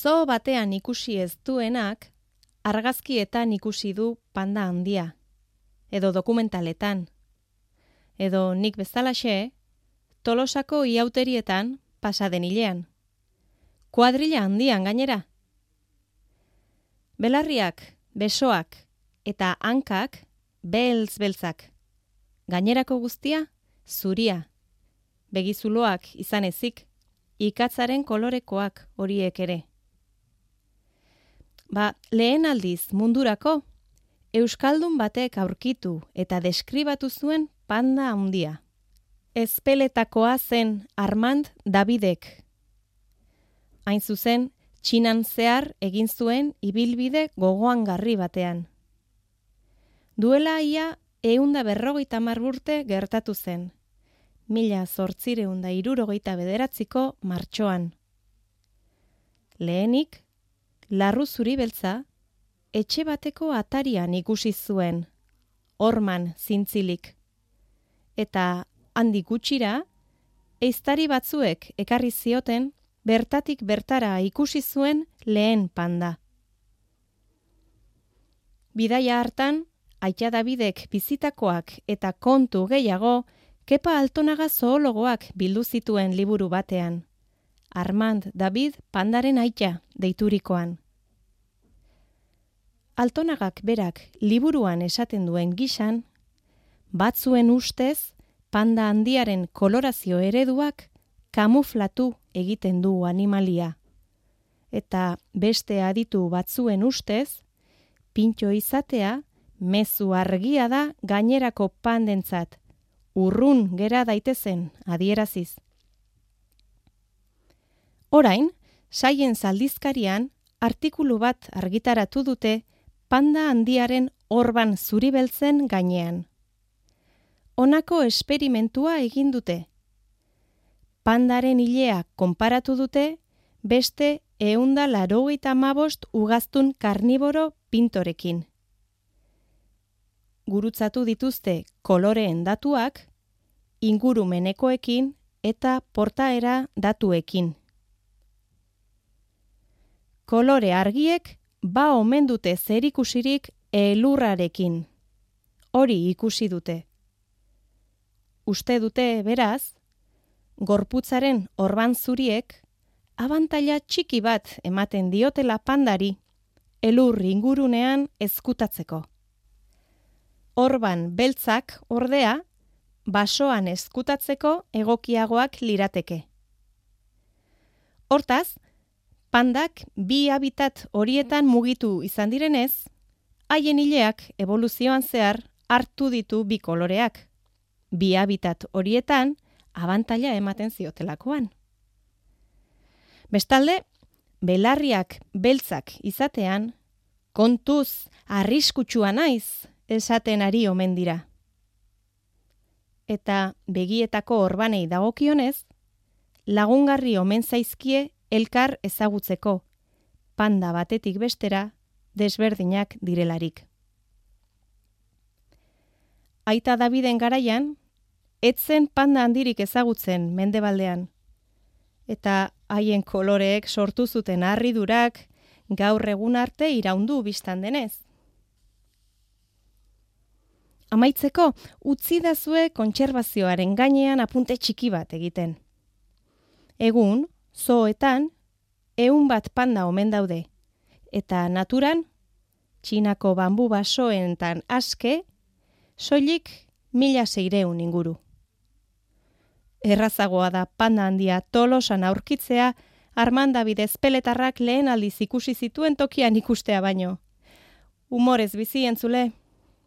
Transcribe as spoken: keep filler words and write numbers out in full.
Zoo batean ikusi ez duenak, argazkietan ikusi du panda handia, edo dokumentaletan, edo nik bezalaxe, Tolosako iauterietan pasaden hilean. Kuadrilla handian gainera. Belarriak, besoak eta hankak beltz-beltzak. Gainerako guztia, zuria. Begizuloak izan ezik, ikatzaren kolorekoak horiek ere. Ba, lehen aldiz mundurako, euskaldun batek aurkitu eta deskribatu zuen panda handia. Ezpeletakoa zen Armand Davidek. Hain zuzen, Txinan zehar egin zuen ibilbide gogoangarri batean. Duela ia ehunda berrogeita hamar urte gertatu zen, mila zortziehun eta hirurogeita bederatziko martxoan. Lehenik, larru zuri beltza, etxe bateko atarian ikusi zuen, horman zintzilik. Eta handik gutxira, ehiztari batzuek ekarri zioten, bertatik bertara ikusi zuen lehen panda. Bidaia hartan, Aita Davidek bizitakoak eta kontu gehiago, Kepa Altonaga zoologoak bildu zituen liburu batean. Armand David pandaren aita deiturikoan. Altonagak berak liburuan esaten duen gisan, batzuen ustez, panda handiaren kolorazio ereduak kamuflatu egiten du animalia. Eta beste aditu batzuen ustez, pintxo izatea, mezu argia da gainerako pandentzat, urrun gera daitezen adieraziz. Orain, Science aldizkarian artikulu bat argitaratu dute panda handiaren orban zuribeltzen gainean. Honako esperimentua egin dute. Pandaren ilea konparatu dute beste ehun eta laurogeita hamabost ugaztun karniboro pintorekin. Gurutzatu dituzte koloreen datuak, ingurumenekoekin eta portaera datuekin. Kolore argiek ba omen dute zerikusirik elurrarekin. Hori ikusi dute. Uste dute, beraz, gorputzaren orban zuriek abantaila txiki bat ematen diotela pandari elur ingurunean ezkutatzeko. Orban beltzak ordea, basoan ezkutatzeko egokiagoak lirateke. Hortaz, pandak bi habitat horietan mugitu izan direnez, haien ileak evoluzioan zehar hartu ditu bi koloreak. Bi habitat horietan abantaila ematen ziotelakoan. Bestalde, belarriak beltzak izatean, kontuz arriskutsua naiz esaten ari omen dira. Eta begietako orbanei dagokionez, lagungarri omen zaizkie elkar ezagutzeko, panda batetik bestera desberdinak direlarik. Aita Daviden garaian, etzen panda handirik ezagutzen mendebaldean, eta haien koloreek sortu zuten harridurak gaur egun arte iraundu bistan denez. Amaitzeko, utzi dazue kontserbazioaren gainean apunte txiki bat egiten. Egun, zooetan, ehun bat panda omen daude, eta naturan, Txinako bambu basoentan aske, soilik mila seireun inguru. Errazagoa da panda handia Tolosan aurkitzea, Armand David ezpeletarrak lehen aldiz ikusi zituen tokian ikustea baino. Humorez bizi entzule.